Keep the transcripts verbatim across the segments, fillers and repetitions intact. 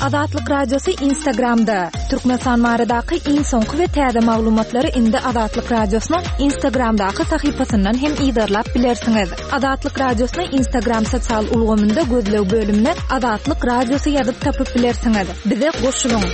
Azatlyk Radiosy Instagramda. Türkmenistan baradaky iň soňky we täze maglumatlary indi Azatlyk Radiosynyň Instagramdaky sahypasyndan hem yzarlap bilersiňiz. Azatlyk Radiosyny Instagram sosial ulgamynda gözleg bölümine Azatlyk Radiosy ýazyp tapyp bilersiňiz. Bize goşulyň.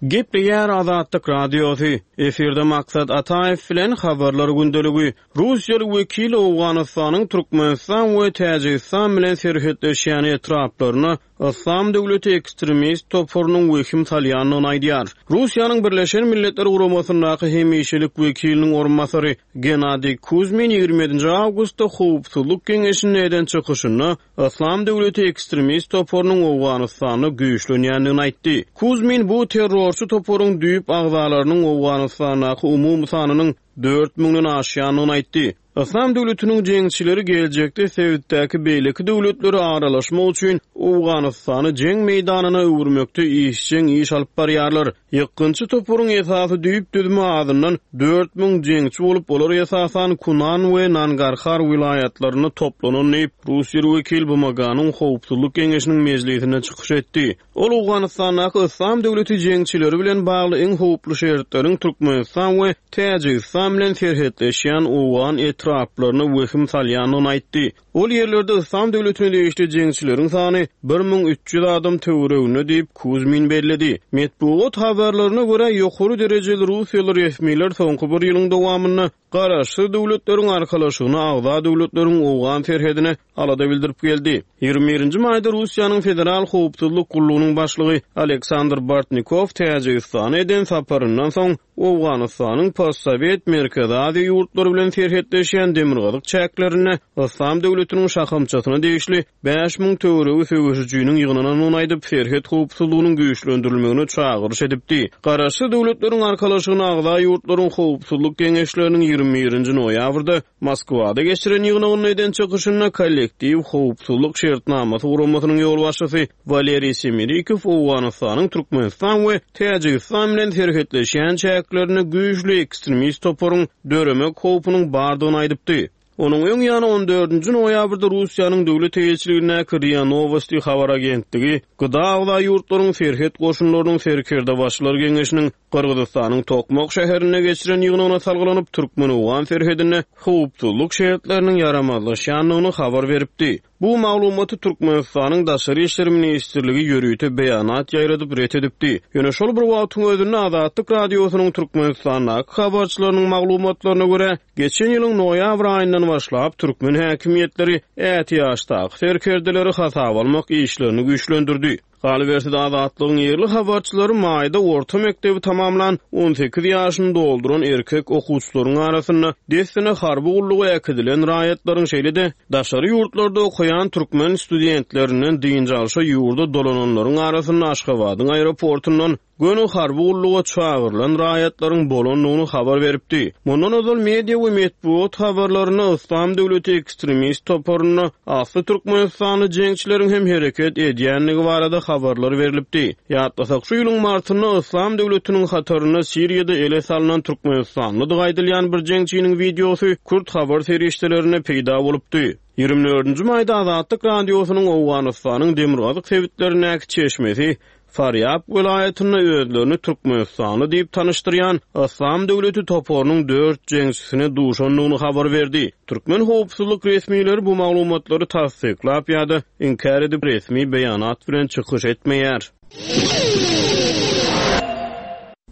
Gepleýär Azatlyk Radiosy. Efirde Maksat Ataýew bilen habarlar gündeligi. Russiýaly wekil Owganystanyň Türkmenistan we Täjigistan bilen serhetleşýän etraplaryna Yslam döwleti ekstremist toparynyň wehim salýandygyny aýdýar. Russiýanyň Birleşen Milletler Guramasyndaky hemişelik wekiliniň orunbasary Gennadiý Kuzmin ýigrimi ýedinji awgustda Howpsuzlyk Geňeşinde eden çykyşynda Yslam döwleti ekstremist toparynyň Owganystanda güýçlenýändigini aýtdy. Kuzmin bu terrorçy toparyň düýp agzalarynyň Owganystandaky umumy sanynyň dört müňden aşýandygyny aýtdy. Yslam döwletiniň jeňçileri geljekde sebitdäki beýleki döwletleri aralaşmak üçin Owganystany jeň meýdanyna öwürmekde işjeň iş alyp barýarlar. Ýykgynçy toparyň esasy düýp düzümi azyndan dört müň jeňçi bolup, olar esasan Kunan we Nangarhar welaýatlarynda toplanan diýip, Russiýaly wekil B M G-nyň Howpsuzlyk Geňeşiniň mejlisinde çykyş etdi. Ol Owganystandaky Yslam döwleti jeňçileri bilen bagly iň howply şertleriň Türkmenistan we Täjigistan bilen serhetleşýän Owgan etraplaryna wehim salýandygyny aýtdy. Ol ýerlerde Yslam döwletine degişli jeňçileriň sany bir müň üç ýüz adam töwereginde diýip Kuzmin belledi. Metbugat habarlaryna görä ýokary derejeli Russiýaly resmiler soňky bir ýylyň dowamynda garaşsyz döwletleriň arkalaşygyna agza döwletleriň Owgan serhedine alada bildirip geldi. Ýigrimi birinji maýda Russiýanyň Federal Howpsuzlyk Gullugynyň başlygy Aleksandr Bartnikow Täjigistana eden saparyndan soň Owganystanyň Postsowet Merkezi Aziýa ýurtlary bilen serhetleşýän demirgazyk çäklerinde Yslam döwletiniň şahamçasyna degişli bäş müň töweregi söweşijiniň ýygnanandygyny aýdyp, serhet howpsuzlygynyň güýçlendirilmegine çagyryş edipdi. Garaşsyz döwletleriň arkalaşygyna agza ýurtlaryň howpsuzlyk geňeşleriniň ýigrimi birinji noýabrda Moskwada geçiren ýygnagynda eden çykyşynda kollektiw howpsuzlyk şertnamasy guramasynyň ýolbaşçysy Waleriý Semerikow Owganystanyň Türkmenistan we Täjigistan bilen serhetleşýän çäklerinde güýçli ekstremist toparyň döremek howpunyň bardygyny aýdypdy. Onuň öň ýany on dördünji noýabrda Russiýanyň döwlet eýeçiligindäki R I A Novosti habar agentligi Gıda agza ýurtlaryň serhet goşunlarynyň serkerdebaşylar geňeşiniň Gyrgyzystanyň Tokmak şäherinde geçiren ýygnagyna salgylanyp Türkmen-Owgan serhedinde howpsuzlyk şertleriniň ýaramazlaşýandygyny habar beripdi. Bu maglumaty Türkmenistanyň Daşary İşler Ministrligi ýörite beýanat ýaýradyp ret edipdi. Ýöne şol bir wagtyň özünde Azatlyk Radiosynyň Türkmenistandaky habarçylarynyň maglumatlaryna görä, geçen ýylyň noýabr aýyndan başlap türkmen häkimiýetleri ätiýaçdaky serkerdeleri hasaba almak işlerini güýçlendirdi. Galyberse-de Azatlygyň ýerli habarçylary maýda orta mekdebi tamamlan on sekiz ýaşyny dolduran erkek okuwçylaryň arasynda dessine harby gulluga äkidilen raýatlaryň şeýle-de daşary ýurtlarda okaýan türkmen studentlerinden dynç alşa ýurda dolananlaryň arasynda Aşgabadyň aeroportundan göni harby gulluga çagyrylan raýatlaryň bolandygyny habar beripdi. Mundan ozal media we metbugat habarlarynda Yslam döwleti ekstremist toparynda asly Türkmenistanly jeňçileriň hem hereket edýändigi barada habarlar berilipdi. Ýatlasak, şu ýylyň martynda Yslam döwletiniň hatarynda Siriýada ele salynan Türkmenistanlydygy aýdylýan bir jeňçiniň wideosy Kürt habar serişdelerinde peýda bolupdy. Ýigrimi dördünji maýda Azatlyk Radiosynyň Owganystanyň demirgazyk sebitlerindäki çeşmesi Farýab welaýatynda özlerini Türkmenistanly diýip tanyşdyrýan Yslam döwleti toparynyň dört jeňçisine duşandygyny habar berdi. Türkmen howpsuzlyk resmileri bu maglumatlary tassyklap ýa-da inkär edip resmi beýanat bilen çykyş etmeýär.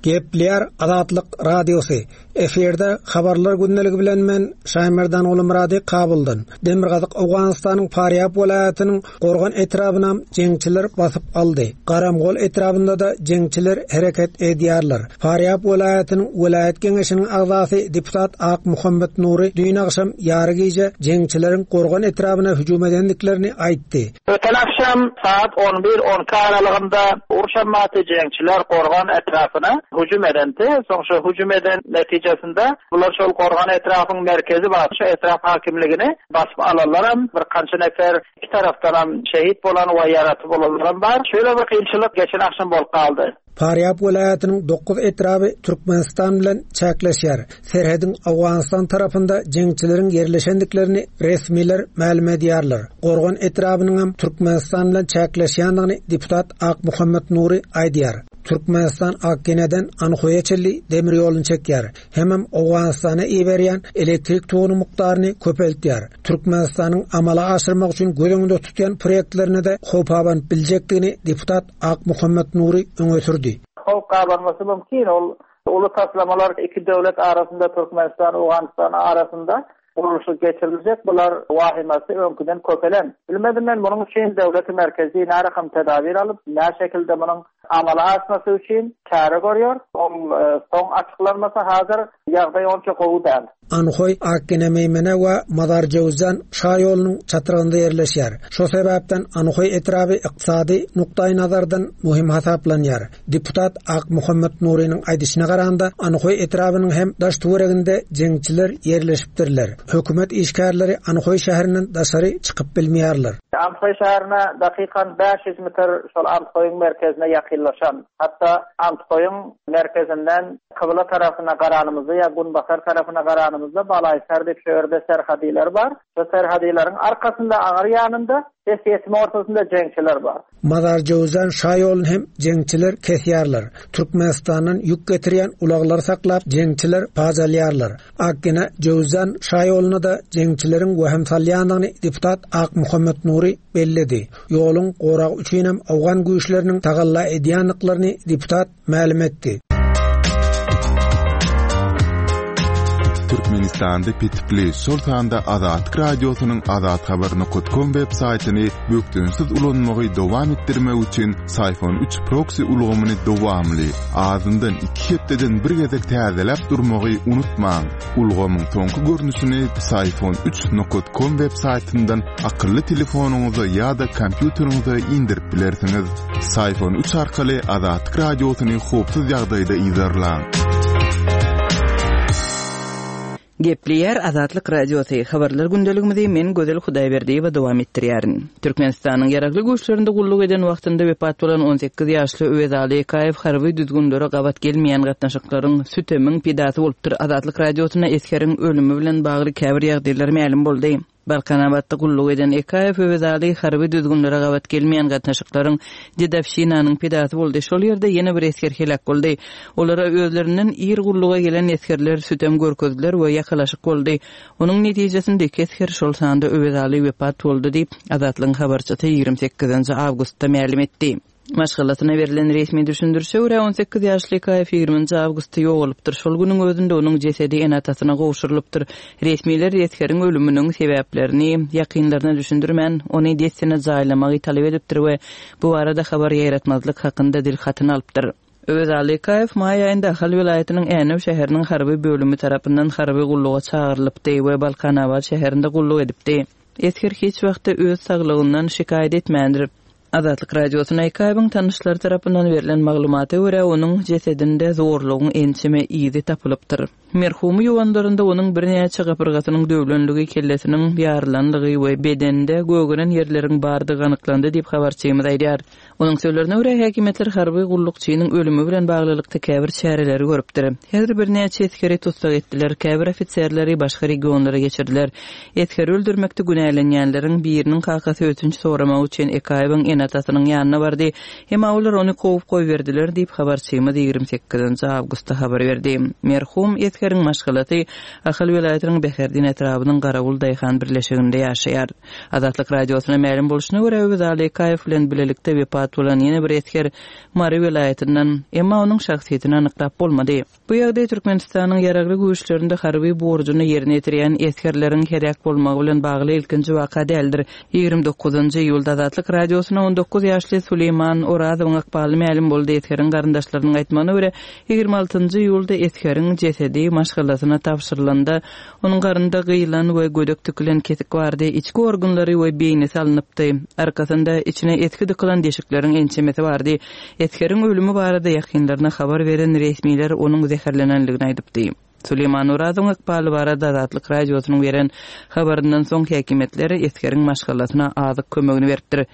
Gepleýär Azatlyk Radiosy. Efirde habarlar gündeligi bilen men Şaýmerdan Gulumyrady Kabuldan. Demirgazyk Owganystanyň Farýab welaýatynyň Gorgan etrabyna jeňçiler basyp aldy. Garamgol etrabynda da jeňçiler hereket edýärler. Farýab welaýatynyň welaýat geňeşiniň agzasy deputat Ak Muhammed Nuri düýn agşam ýary gije jeňçileriň Gorgan etrabyna hüjüm edendiklerini aýtdy. Öten akşam saat on bir on iki aralygynda urşanmaty jeňçiler Gorgan etrapyna hüjüm edendi. Soň şu hüjüm eden netijesinde bular şol Gorgan etrapyň merkezi bar, şu etrap hakimligini basyp alanlaram bir kança nefer iki tarapdan hem şehit bolan we ýaraty bolanlaram bar. Şöyle bir kynçylyk geçen akşam bolup galdy. Farýab welaýatynyň dokuz etraby Türkmenistan bilen çäkleşýär. Serhediň Owganystan tarapynda jeňçileriň ýerleşendiklerini resmiler mälim edýärler. Gorgan etrabynyň hem Türkmenistan bilen çäkleşýändigini deputat Akmuhammet Nury aýdýar. Türkmenistan Akgeneden Anhoýa çenli demir ýoluny çekýär. Hemem Owganystana iberýän elektrik togunyň mukdaryny köpeltýär. Türkmenistanyň amala aşyrmak üçin göz öňünde tutýan proýektlerine de howp abanyp biljekdigini deputat Akmuhammet Nury öňe sürdi. Howp gabanmasy mümkin. Ol uly taslamalar iki döwlet arasynda Türkmenistan Owganystan arasynda gurluşyk geçirilecek. Bular wahimasy öňküden köpelen. Bilmedim men bunun üçin döwleti merkezi närakam tedabir alyp, nä şekilde bunun amala aşmasy üçin çäre görüyor. Ol e, soň açyklanmasa hazır ýagdaý onça gowy däl. Anhoý Akgene Meýmene we Mazar Jowzan şa ýolunyň çatrygynda ýerleşýär. Şo sebäpden Anhoý etraby ykdysady nukdaý nazardan muhim hasaplanýar. Deputat Akmuhammet Nurynyň aýdyşyna garanda Anhoý etrabynyň hem daş töwereginde jeňçiler ýerleşipdirler. Hökümet işgärleri Anhoý şäherinden daşary çykyp bilmeýärler. Anhoý şäherine dakikan bäş ýüz metr şol Anhoýyň merkezine ýakynlaşan, hatda Anhoýyň merkezinden kybla tarapyna garanymyzda ýa günbatar tarapyna garanymyzda Balaýsar diýip şu ýerde serhadiler bar. Şu serhadileriň arkasynda aňyr ýanynda ses ýetme ortasynda jeňçiler bar. Mazar Jowzan şa ýoluny hem jeňçiler kesýärler. Türkmenistandan ýük getirýän ulaglary saklap jeňçiler pajalýarlar. Akgene Jowzan şa ýoluna da jeňçileriň wehim salýandygyny deputat Akmuhammet Nury belledi. Ýoluň goragy üçin hem Owgan güýçleriniň tagalla edýänliklerini deputat mälim etdi. Türkmenistanda petikli, şol sanda Azatlyk Radiosynyň azathabar nokta com web saýtyny bökdençsiz ulanmagy dowam etdirmek üçin Syfon üç proxy ulgamyny dowamly, azyndan iki hepdeden bir gezek täzeläp durmagy unutmaň. Ulgamyň soňky görnüşini Syfon üç nokta com web saýtyndan akylly telefonyňyza ýa-da kompýuteriňize indirip bilersiňiz. Syfon üç arkaly Azatlyk Radiosyny howpsuz ýagdaýda yzarlaň. Gepleýär Azatlyk Radiosy. Habarlar gündeligimizi men Gözel Hudaýberdiýewa dowam etdirýärin. Türkmenistanyň ýaragly güýçlerinde gulluk eden wagtynda wepat bolan on sekiz ýaşly Öwezaly Ekaýew harby düzgünlere gabat gelmeýän gatnaşyklaryň sütemiň pidasy bolupdyr. Azatlyk Radiosyna esgeriň ölümi bilen bagly käbir ýagdaýlar mälim boldy. Balkanabatda gulluk eden Ekaýew Öwezaly harby düzgünlere gabat gelmeýän gatnaşyklaryň dedowşinanyň pidasy boldy. Şol ýerde ýene bir esger helak boldy. Olara özlerinden ir gulluga gelen esgerler sütem görkezdiler we ýakalaşyk boldy. Onuň netijesinde iki esger şol sanda Öwezaly wepat boldy diýip, Azatlygyň habarçysy ýigrimi sekizinji awgustda mälim etdi. Maşgalasyna berlen resmi düşündirişe görä on sekiz ýaşly Ekaýew ýigriminji awgustda ýogalypdyr. Şol günüň özünde onuň jesedi ene-atasyna gowşurylypdyr. Resmiler esgeriň ölüminiň sebäplerini ýakynlaryna düşündirmän, ony dessine jaýlamagy talap edipdir we bu barada habar ýaýratmazlyk hakynda dil hatyny alypdyr. Öwezaly Ekaýew maý aýynda Ahal welaýatynyň Änew şäheriniň harby bölümi tarapyndan harby gulluga çagyrylypdy we Balkanabat şäherinde gulluk edipdi. Esger hiç wagtda öz saglygyndan şikaýat etmändir. Azatlyk Radiosyna Ekaýewiň tanyşlary tarapyndan berlen maglumata görä onuň jesedinde zorlugyň ençeme yzy tapylypdyr. Merhumy ýuwanlarynda onuň birnäçe gapyrgasynyň döwlenligi, kellesiniň ýarylanlygy we bedende gögeren ýerleriň bardygy anyklandy diýip habarçymyz aýdýar. Onuň sözlerine görä häkimiýetler harby gullukçynyň ölümi bilen baglylykda käbir çäreleri görüpdir. Her birnäçe esgeri tussag etdiler, käbir ofiserleri başga regionlara geçirdiler. Esgeri öldürmekde günälenýänleriň biriniň kakasy ötünç soramak üçin Ekaýewiň ene-atasynyň ýanyna bardy. Emma olar ony kowup goýberdiler diýip habarçymyz ýigrimi sekizinji awgustda habar berdi. Merhum esgeriň maşgalasy Ahal welaýatynyň Bäherdin etrabynyň Garawul Daýhan birleşiginde ýaşaýar. Azatlyk Radiosyna mälim bolşuna görä Öwezaly Ekaýew bilen bilelikde wepat bolan ýene bir esger Mary welaýatyndan, emma onuň şahsyýetini anyklap bolmady. Bu ýagdaý Türkmenistanyň ýaragly güýçlerinde harby borjuny ýerine ýetirýän esgerleriň heläk bolmagy bilen bagly ilkinji waka däldir. Ýigrimi dokuzynjy iýulda Azatlyk Radiosyna on dokuz ýaşly Suleýman Orazowyň ykbaly mälim boldy. Esgeriň garyndaşlarynyň aýtmagyna görä ýigrimi altynjy iýulda esgeriň jesedi maşgalasyna tabşyrylanda onuň garynda gyýylan we gödek tikilen kesik bardy, içki organlary we beýnisi alnypdy. Arkasynda içine eski dykylan deşikleriň ençemesi bardy. Esgeriň ölümi barada ýakynlaryna habar beren resmiler onuň zäherlenenligini aýdypdy. Suleýman Orazowyň ykbaly barada Azatlyk Radiosynyň beren habaryndan soň häkimiýetler esgeriň maşgalasyna azyk kömegini beripdir.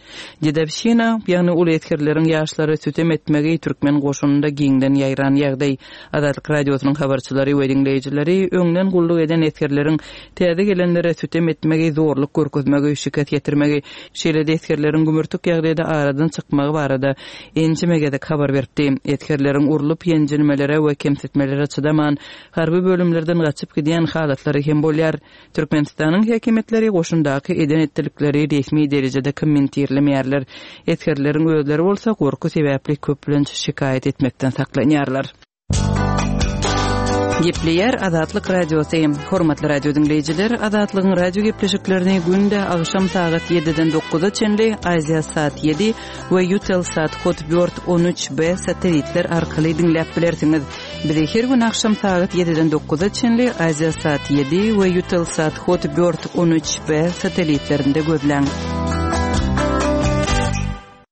Dedowşina, ýagny uly esgerleriň ýaşlara sütem etmegi türkmen goşunynda giňden ýaýran ýagdaý. Azatlyk Radiosynyň habarçylary we diňleýjileri öňden gulluk eden esgerleriň täze gelenlere sütem etmegi, zorluk görkezmegi, şikes ýetirmegi, şeýle-de esgerleriň gümürtik ýagdaýda aradan çykmagy barada ençeme gezek habar beripdi. Esgerleriň urlup ýenjilmelere we kemsitmelere çydaman, harby bölümlerden gaçyp gidýän halatlary hem bolýar. Türkmenistanyň häkimiýetleri goşundaky eden-etdilikleri resmi derejede kommentirlemeýärler. Esgerleriň özleri bolsa gorky sebäpli köplenç şikaýat etmekden saklanýarlar. Gepleýär Azatlyk Radiosy. Hormatly radio diňleýjiler, Azatlygyň radio gepleşiklerini günde agşam sagat ýediden dokuza çenli Aziasat ýedi we Eutelsat Hotbird on üç B satellitler arkaly diňläp bilersiňiz. Bizi her gün agşam sagat ýediden dokuza çenli Aziasat ýedi we Eutelsat Hotbird on üç B satellitlerinde gözläň.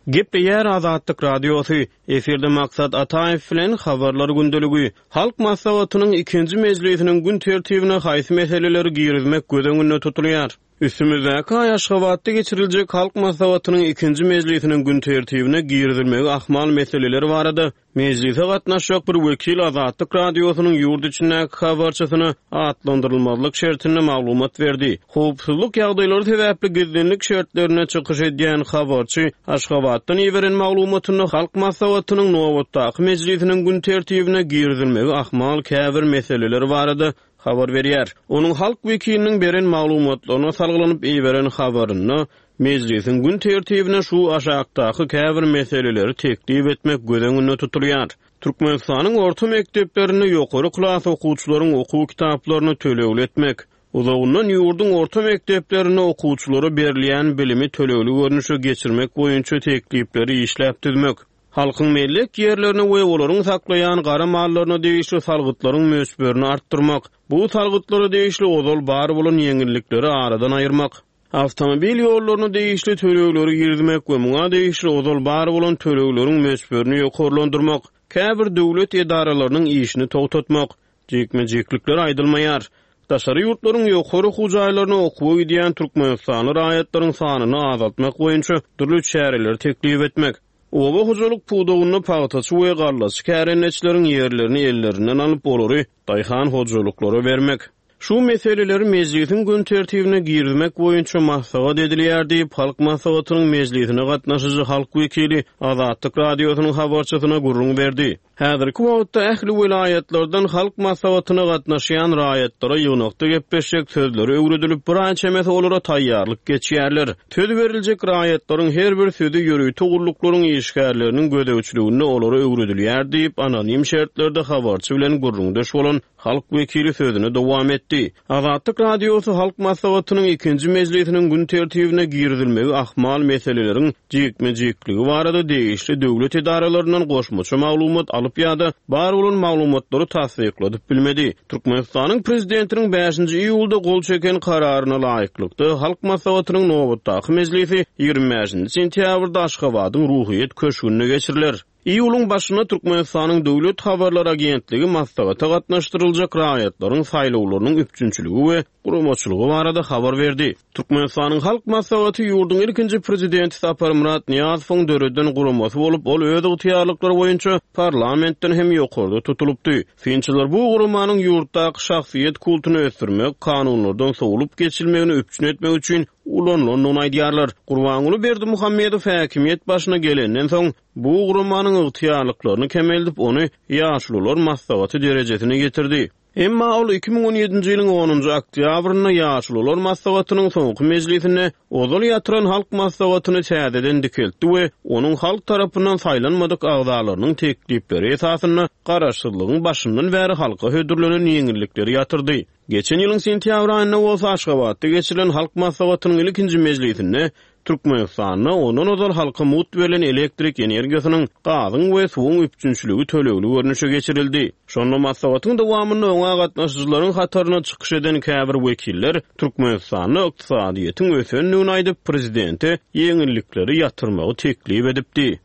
Gepleýär Azatlyk Radiosy. Efirde Maksat Ataýew bilen Habarlar gündeligi. Halk Maslahatynyň ikinji mejlisiniň gün tertibine haýsy meseleleri girizmek göz öňünde tutulýar? Üstümizdäki aý Aşgabatda geçiriljek Halk Maslahatynyň ikinji mejlisiniň gün tertibine girizilmegi ahmal meseleleri barada mejlise gatnaşjak bir wekil Azatlyk Radiosynyň ýurt içindäki habarçysyna atlandyrylmazlyk şertinde maglumat berdi. Howpsuzlyk ýagdaýlary sebäpli gizlinlik şertlerine çykyş edýän habarçy Aşgabatdan iberen maglumatynda Halk Maslahatynyň nobatdaky mejlisiniň gün tertibine girizilmegi ahmal käbir meseleler barada habar berýär. Onuň halk wekiliniň beren maglumatlaryna salgylanyp iberen habarynda mejlisiň gün tertibine şu aşakdaky käbir meseleleri teklip etmek göz öňünde tutulýar. Türkmenistanyň orta mekdeplerinde ýokary klas okuwçylaryň okuw kitaplaryny tölegli etmek, uzagyndan ýurduň orta mekdeplerinde okuwçylara berilýän bilimi tölegli görnüşe geçirmek boýunça teklipleri işläp düzmek, halkyň mellek ýerlerini we olaryň saklaýan gara mallaryna degişli salgytlaryň möçberini artdyrmak, bu salgytlara degişli ozal bar bolan ýeňillikleri aradan aýyrmak, awtomobil ýollaryna degişli tölegleri girizmek we muňa degişli ozal bar bolan tölegleriň möçberini ýokarlandyrmak, käbir döwlet edaralarynyň işini togtatmak, jikme-jiklikler aýdylmaýar. Daşary ýurtlaryň ýokary okuw jaýlaryna okuwa gidýän Türkmenistanly raýatlaryň sanyny azaltmak boýunça dürli çäreleri teklip etmek, oba hojalyk pudagynda pagtaçy we gallaçy kärendeçileriň ýerlerini ellerinden alyp olary daýhan hojalyklara bermek. Şu meseleleri mejlisiň gün tertibine girizmek boýunça maslahat edilýär diýip, Halk Maslahatynyň mejlisine gatnaşyjy halk wekili Azatlyk Radiosynyň habarçysyna gürrüň berdi. Häzirki wagtda ähli welaýatlardan Halk Maslahatyna gatnaşýan raýatlara ýygnakda gepleşjek sözleri öwredilip, bir aý çemesi olara taýýarlyk geçýärler. Söz beriljek raýatlaryň her bir sözi ýörite gulluklaryň işgärleriniň gözegçiliginde olara öwredilýär diýip, anonim şertlerde habarçy bilen gürrüňdeş bolan halk wekili sözüni dowam etdi. Azatlyk Radiosy Halk Maslahatynyň ikinji mejlisiniň gün tertibine girizilmegi ahmal meseleleriň jikme-jikligi barada degişli döwlet edaralaryndan goşmaça maglumat alyp ýa-da bar bolan maglumatlary tassykladyp bilmedi. Türkmenistanyň prezidentiniň bäşinji iýulda gol çeken kararyna laýyklykda Halk Maslahatynyň nobatdaky mejlisi ýigrimi bäşinji sentýabrda Aşgabadyň Ruhyýet köşgünde geçiriler. Iýulyň başynda Türkmenistanyň Döwlet Habarlar Agentligi maslahata gatnaşdyryljak raýatlaryň saýlawlarynyň üpjünçiligi we guramaçylygy barada habar berdi. Türkmenistanyň Halk Maslahaty ýurduň ilkinji prezidenti Saparmyrat Nyýazowyň döreden guramasy bolup, ol öz ygtyýarlyklary boýunça parlamentden hem ýokarda tutulypdy. Synçylar bu guramanyň ýurtdaky şahsyýet kultuny ösdürmek, kanunlardan sowlup geçilmegini üpjün etmek üçin ulanylandygyny aýdýarlar. Gurbanguly Berdimuhamedow häkimiýet başyna gelenden soň bu guramanyň ygtyýarlyklaryny kemeldip, ony ýaşulular maslahaty derejesine getirdi. Emma ol iki müň on ýedinji ýylyň onunjy oktýabrynda ýaşulular maslahatynyň soňky mejlisinde ozal ýatyran halk maslahatyny täzeden dikeltdi we onuň halk tarapyndan saýlanmadyk agzalarynyň teklipleri esasynda garaşsyzlygyň başyndan bäri halka hödürlenen ýeňillikleri ýatyrdy. Geçen ýylyň sentýabr aýynda bolsa Aşgabatda geçirilen halk maslahatynyň ilkinji mejlisinde Türkmenistanda ondan ozal halka mugt berlen elektrik energiýasynyň, gazyň we suwuň üpjünçiligi tölegli görnüşe geçirildi. Şonda maslahatyň dowamynda oňa gatnaşyjylaryň hataryna çykyş eden käbir wekiller Türkmenistanda ykdysadyýetiň ösendigini aýdyp, prezidente ýeňillikleri ýatyrmagy teklip edipdi.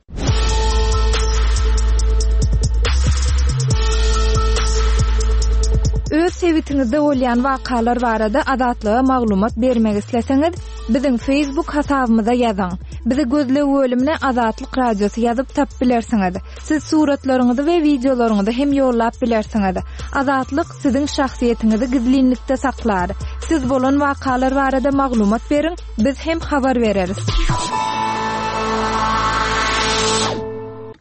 Öz Öz sebitiňizde bolýan wakalar barada Azatlyga maglumat bermek isleseňiz, biziň Facebook hasabymyza ýazyň. Bizi gözleg bölümine Azatlyk Radiosy ýazyp tapyp bilersiňiz. Siz suratlaryňyzy we wideolaryňyzy hem ýollap bilersiňiz. Azatlyk siziň şahsyýetiňizi gizlinlikde saklar. Siz bolan wakalar barada maglumat beriň, biz hem habar bereris.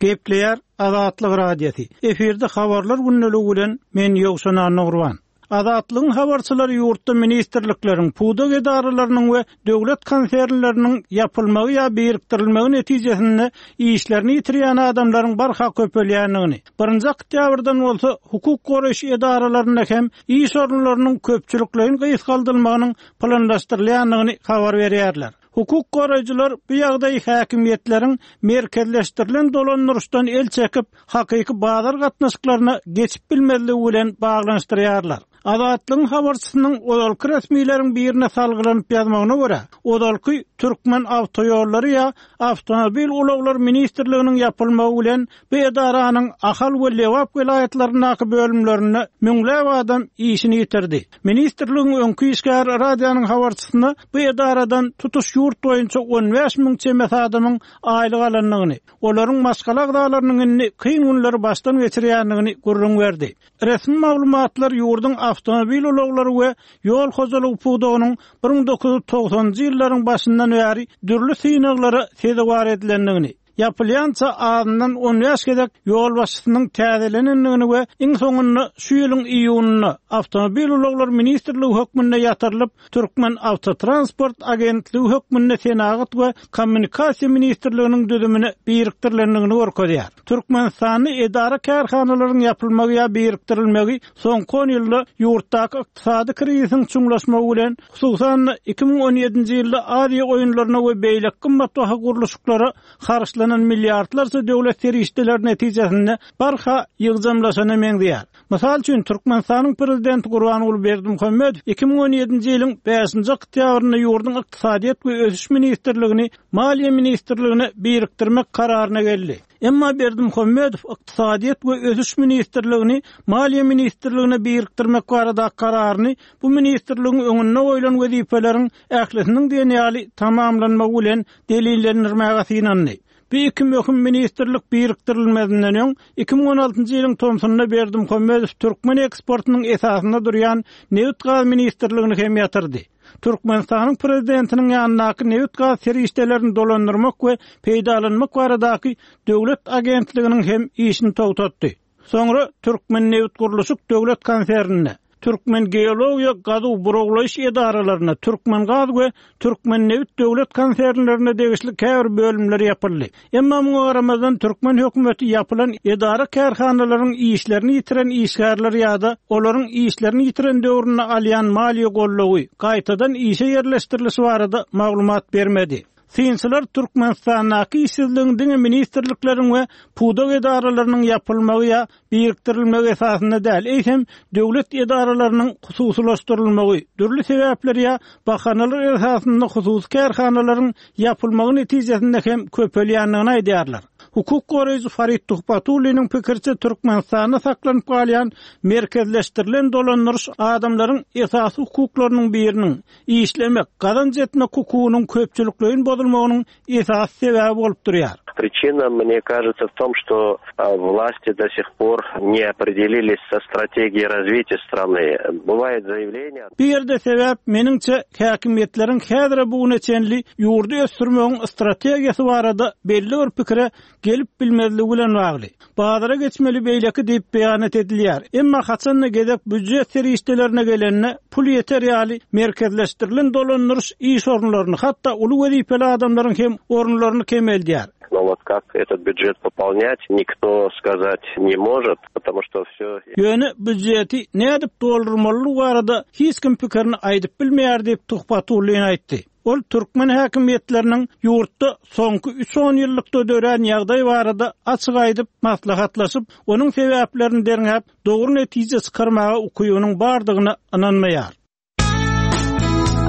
Gepleýär Azatlyk Radiosy. Efirde habarlar gündeligi bilen men Ýowşan Annagurban. Azatlygyň habarçylary ýurtda ministrlikleriň, pudak edaralarynyň we döwlet konsernleriniň ýapylmagy ýa birikdirilmegi netijesinde işlerini ýitirýän adamlaryň barha köpelýändigini, birinji oktýabrdan bolsa hukuk goraýyş edaralarynda hem iş orunlarynyň köpçülikleýin gysgaldylmagynyň planlaşdyrylýandygyny habar berýärler. Hukuk goraýjylar bu ýagdaýy häkimiýetleriň merkezleşdirilen dolandyryşdan el çekip, hakyky bazar gatnaşyklaryna geçip bilmezligi bilen baglanyşdyrýarlar. Azatlygyň habarçysynyň ozalky resmileriň birine salgylanyp ýazmagyna görä, ozalky Türkmen awtoýollary ýa Awtomobil ulaglar ministrliginiň ýapylmagy bilen bu edaranyň Ahal we Lebap welaýatlaryndaky bölümlerinde müňläp adam işini ýitirdi. Ministrligiň öňki işgäri radionyň habarçysyna bu edaradan tutuş ýurt boýunça on bäş müň çemesi adamyň aýlyk alandygyny, olaryň maşgala agzalarynyň indi kyn günleri başdan geçirýändigini gürrüň berdi. Resmi maglumatlar ýurduň awtomobil ulaglary we ýol hojalygy pudagynyň bir müň dokuz ýüz togsanjy ýyllaryň başyndan bäri dürli synaglara sezewar edilendigini, ýapylýança azyndan on bäş gezek ýolbaşçysynyň täzelenendigini we iň soňunda şu ýylyň iýunynda Awtomobil ulaglary ministrligi hökmünde ýatyrylyp, Türkmen Awtotransport agentligi hökmünde Senagat we Kommunikasiýa ministrliginiň düzümine birikdirilendigini görkezýär. Türkmenistanda edara kärhanalaryň ýapylmagy ýa birikdirilmegi soňky on ýylda ýurtdaky ykdysady krizisiň çuňlaşmagy bilen, hususan-da iki müň on ýedinji ýylda Aziýa oýunlaryna we beýleki gymmatbaha gurluşyklara harçlanan milliardlarça döwlet serişdeleri netijesinde barha ýygjamlaşana meňzeýär. Mysal üçin, Türkmenistanyň prezidenti Gurbanguly Berdimuhamedow iki müň on ýedinji ýylyň bäşinji oktýabrynda ýurduň Ykdysadyýet we ösüş ministrligini Maliýe ministrligine birikdirmek kararyna geldi. Emma Berdimuhamedow Ykdysadyýet we ösüş ministrligini Maliýe ministrligine birikdirmek baradaky kararyny bu ministrligiň öňünde goýlan wezipeleriň ählisiniň diýen ýaly tamamlanmagy bilen delillendirmäge synandy. Bu iki möhüm ministrlik birikdirilmezinden öň iki müň on altynjy ýylyň tomsunda Berdimuhamedow türkmen eksportynyň esasynda durýan Nebit-gaz ministrligini hem ýatyrdy. Türkmenistanyň prezidentiniň ýanyndaky nebit-gaz serişdelerini dolandyrmak we peýdalanmak baradaky döwlet agentliginiň hem işini togtatdy. Soňra Türkmen nebit gurluşyk döwlet konsernine, Türkmen geologiýa gazuw burawlaýyş edaralaryna, Türkmen gaz we Türkmen nebit döwlet konsernlerine degişli käbir bölümler ýapyldy. Emma muňa garamazdan türkmen hökümeti ýapylan edara kärhanalaryň işlerini ýitiren işgärler ýa-da olaryň işlerini ýitiren döwründe alýan maliýe gollugy gaýtadan işe ýerleşdirilişi barada maglumat bermedi. Synçylar Türkmenistandaky işsizligiň diňe ministrlikleriň we pudak edaralarynyň ýapylmagy ýa birikdirilmegi esasynda däl, eýsem döwlet edaralarynyň hususylaşdyrylmagy, dürli sebäpler ýa bahanalar esasynda hususy kärhanalaryň ýapylmagy netijesinde hem köpelýändigini aýdýarlar. Hukuk goraýjy Farid Tuhbatulliniň pikiriçe Türkmenistanda saklanyp galýan merkezleşdirilen dolandyryş adamlaryň esasy hukuklarynyň biriniň işlemek, gazanç etmek hukugynyň köpçülikleýin bozulmagynyň esasy sebäbi bolup durýar. Причина, мне кажется, в том, что, а, власти до сих пор не определились со стратегией развития страны. Бывает заявление. Bu ýerde sebäp meniňçe häkimiýetleriň häzire bugüne çenli ýurdy ösdürmegiň strategiýasy barada belli bir pikire gelip bilmezligi bilen bagly. Bazara geçmeli beýleki diýip beýan edilýär. Emma haçanda gezek býujet serişdelerine gelende pul ýeter ýaly merkezleşdirilen dolandyryş iş orunlaryny, hatda uly wezipeli adamlaryň hem orunlaryny kemeldýär. Но вот как этот бюджет пополнять, никто сказать не может, потому что все... Ýöne býujeti nädip doldurmaly barada hiç kim pikirini aýdyp bilmeýär diýip Tuhbatullin aýtdy. Ol türkmen häkimiýetleriniň ýurtda soňky üç on ýyllykda dörän ýagdaý barada açyk aýdyp maslahatlaşyp, onuň sebäplerini derňäp, dogry netije çykarmaga ukybynyň bardygyna ynanmaýar.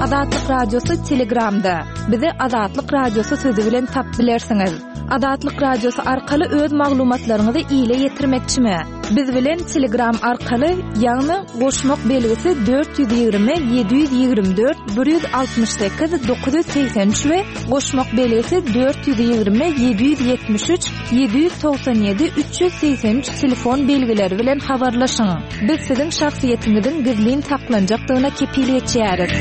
Azatlyk Radiosy Telegramda. Bizi Azatlyk Radiosy sözi bilen tapyp bilersiňiz. Azatlyk Radiosy arkaly öz maglumatlaryňyzy ile ýetirmekçimi? Biz bilen Telegram arkaly, ýagny goşmak belgisi dört ýüz ýigrimi ýedi ýüz ýigrimi dört bir ýüz altmyş sekiz dokuz ýüz segsen üç we goşmak belgisi dört ýüz ýigrimi ýedi ýüz ýetmiş üç ýedi ýüz togsan ýedi üç ýüz segsen üç telefon belgileri bilen habarlaşyň. Biz siziň şahsyýetiňiziň gizlin saklanjakdygyna kepil geçýäris.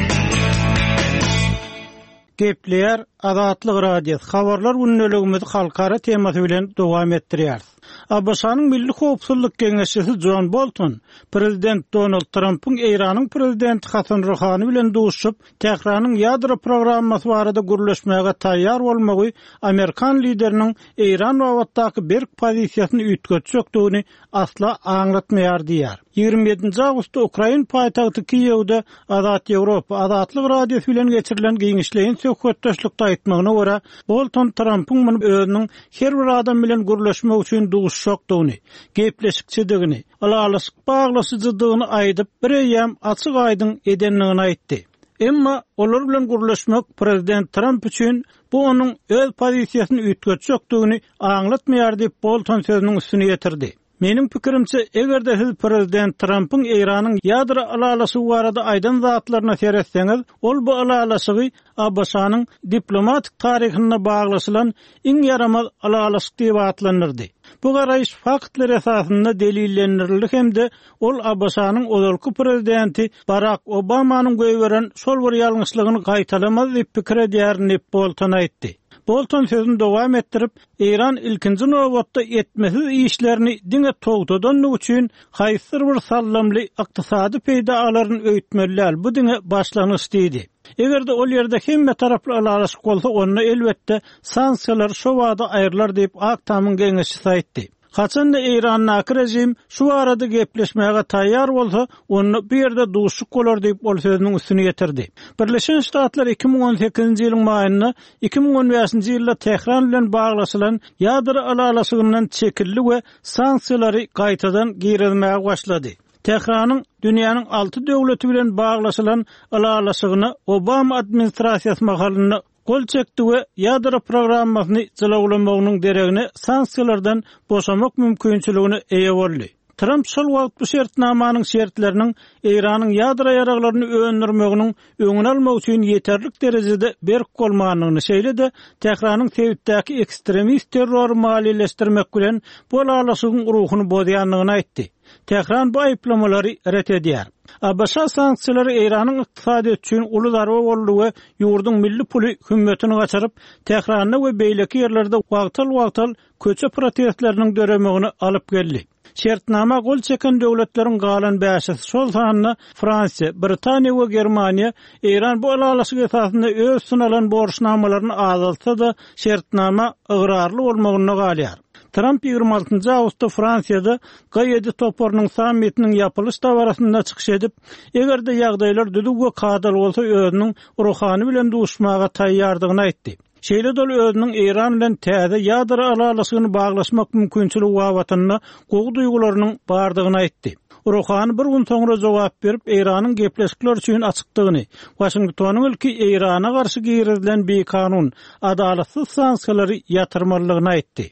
Gepleýär Azatlyk Radiosy. Habarlar gündeligimizi halkara temasy bilen dowam etdirýäris. A B Ş-nyň Milli Howpsuzlyk Geňeşçisi John Bolton Prezident Donald Trumpyň Eýranyň Prezidenti Hasan Ruhani bilen duşup, Tähranyň ýadro programmasy barada gürleşmäge taýýar bolmagy Amerikan lideriniň Eýran babatdaky berk pozisiýasyny üýtgetjekdigini asla aňlatmaýar diýär. Ýigrimi ýedinji awgustda Ukrain paýtagty Kiýewde Azat Ýewropa Azatlyk Radiosy bilen geçirilen giňişleýin söhbetdeşlikde aýtmagyna görä, Bolton Trumpyň muny özüniň her bir adam bilen gürleşmek üçin duşuşjakdygyny, gepleşikçidigini, ylalaşyk baglaşyjydygyny aýdyp, bir eýýäm açyk aýdyň edendigini aýtdy. Emma olar bilen gürleşmek Prezident Trump üçin bu onuň öz pozisiýasyny üýtgetjekdigini aňlatmaýar diýip Bolton sözüniň üstüne ýetirdi. Meniň pikirimçe, eger-de siz Prezident Trumpyň Eýranyň ýadro ylalaşygy barada aýdan zatlaryna seretseňiz, ol bu ylalaşygy A B Ş-nyň diplomatik taryhynda baglaşylan iň ýaramaz ylalaşyk diýip atlandyrdy. Bu garaýyş faktlar esasynda delillendirildi hem-de ol A B Ş-nyň ozalky prezidenti Barack Obamanyň goýberen şol bir ýalňyşlygyny gaýtalamaz diýip pikir edýärin diýip Bolton aýtdy. Bolton sözüni dowam etdirip, Eýran ilkinji nobatda etmesiz işlerini diňe togtadanlygy üçin haýsydyr bir sallamly ykdysady peýda alaryn öýtmeli däl, bu diňe başlangyç diýdi. Eger-de ol ýerde hemme taraply ylalaşyk bolsa, onda elbetde sanksiýalar şo bada aýrylar diýip Ak Tamyň geňeşçisi aýtdy. Haçanda Eýrandaky rejim şu arada gepleşmäge taýýar bolsa, onda bu ýerde duşuk bolar diýip ol sözüniň üstüne ýetirdi. Birleşen Ştatlar iki müň on sekizinji ýylyň maýynda iki müň on bäşinji ýylda Tähran bilen baglaşylan ýadro ylalaşygyndan çekildi we sanksiýalary gaýtadan girizmäge başlady. Tähranyň dünýäniň alty döwleti bilen baglaşylan ylalaşygyna Obama administrasiýasy mahalynda gol çekdi we ýadro programmasyny jylawlamagynyň deregine sanksiýalardan boşamak mümkinçiligine eýe boldy. Trump şol wagt bu şertnamanyň şertleriniň Eýranyň ýadro ýaraglaryny öndürmeginiň öňüni almak üçin ýeterlik derejede berk bolmandygyny, şeýle-de Tähranyň sebitdäki ekstremist terrory maliýeleşdirmek bilen bu ylalaşygyň ruhuny bozýandygyny aýtdy. Tähran bu aýyplamalary ret edýär. A B Ş sanksiýalary Eýranyň ykdysadyýeti üçin uly zarba boldy we ýurduň milli puly hümmetini gaçyryp, Tähranda we beýleki ýerlerde wagtal-wagtal köçe protestleriniň döremegini alyp geldi. Şertnama gol çeken döwletleriň galan bäşisi, şol sanda Fransiýa, Britaniýa we Germaniýa Eýran bu ylalaşyk esasynda öz üstüne alan borçnamalaryny azaltsa-da şertnama ygrarly bolmagynda galýar. Trump ýigrimi altynjy awgustda Fransiýada G ýedi toparynyň sammitiniň ýapylyş dabarasynda çykyş edip, eger-de ýagdaýlar düzüw we kadaly bolsa özüniň Ruhani bilen duşmaga taýýardygyny aýtdy. Şeýle-de ol özüniň Eýran bilen täze ýadro ylalaşygyny baglaşmak mümkinçiligi babatynda gowy duýgularynyň bardygyny aýtdy. Ruhani bir gün soňra jogap berip, Eýranyň gepleşikler üçin açykdygyny, Waşingtonyň ilki Eýrana garşy girizilen bikanun, adalatsyz sanksiýalary ýatyrmalydygyny aýtdy.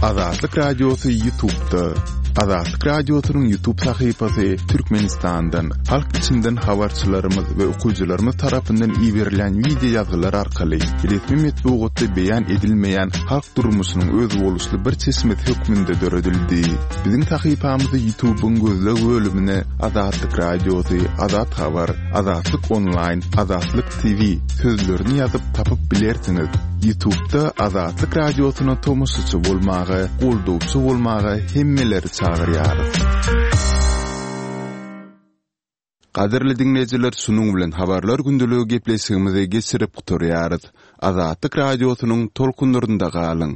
Azatlyk Radiosy YouTube'da. Azatlyk Radiosynyň YouTube sahypasy Türkmenistandan, halk içinden habarçylarymyz we okyjylarymyz tarapyndan iberilen wideo ýazgylar arkaly resmi metbugatda beýan edilmeýän halk durmuşynyň özboluşly bir çeşmesi hökmünde döredildi. Biziň sahypamyzy YouTube'yň gözleg bölümine Azatlyk Radiosy, Azat Habar, Azatlyk Online, Azatlyk T V sözlerini ýazyp tapyp bilersiňiz. YouTube'da Azatlyk Radiosyna tomaşaçy bolmaga, goldawçy bolmaga hemmeleri çagyrýarys. Gadyrly diňleýjiler, şunuň bilen habarlar gündeligi gepleşigimizi geçirip gutarýarys. Azatlyk Radiosynyň tolkunlarynda galyň.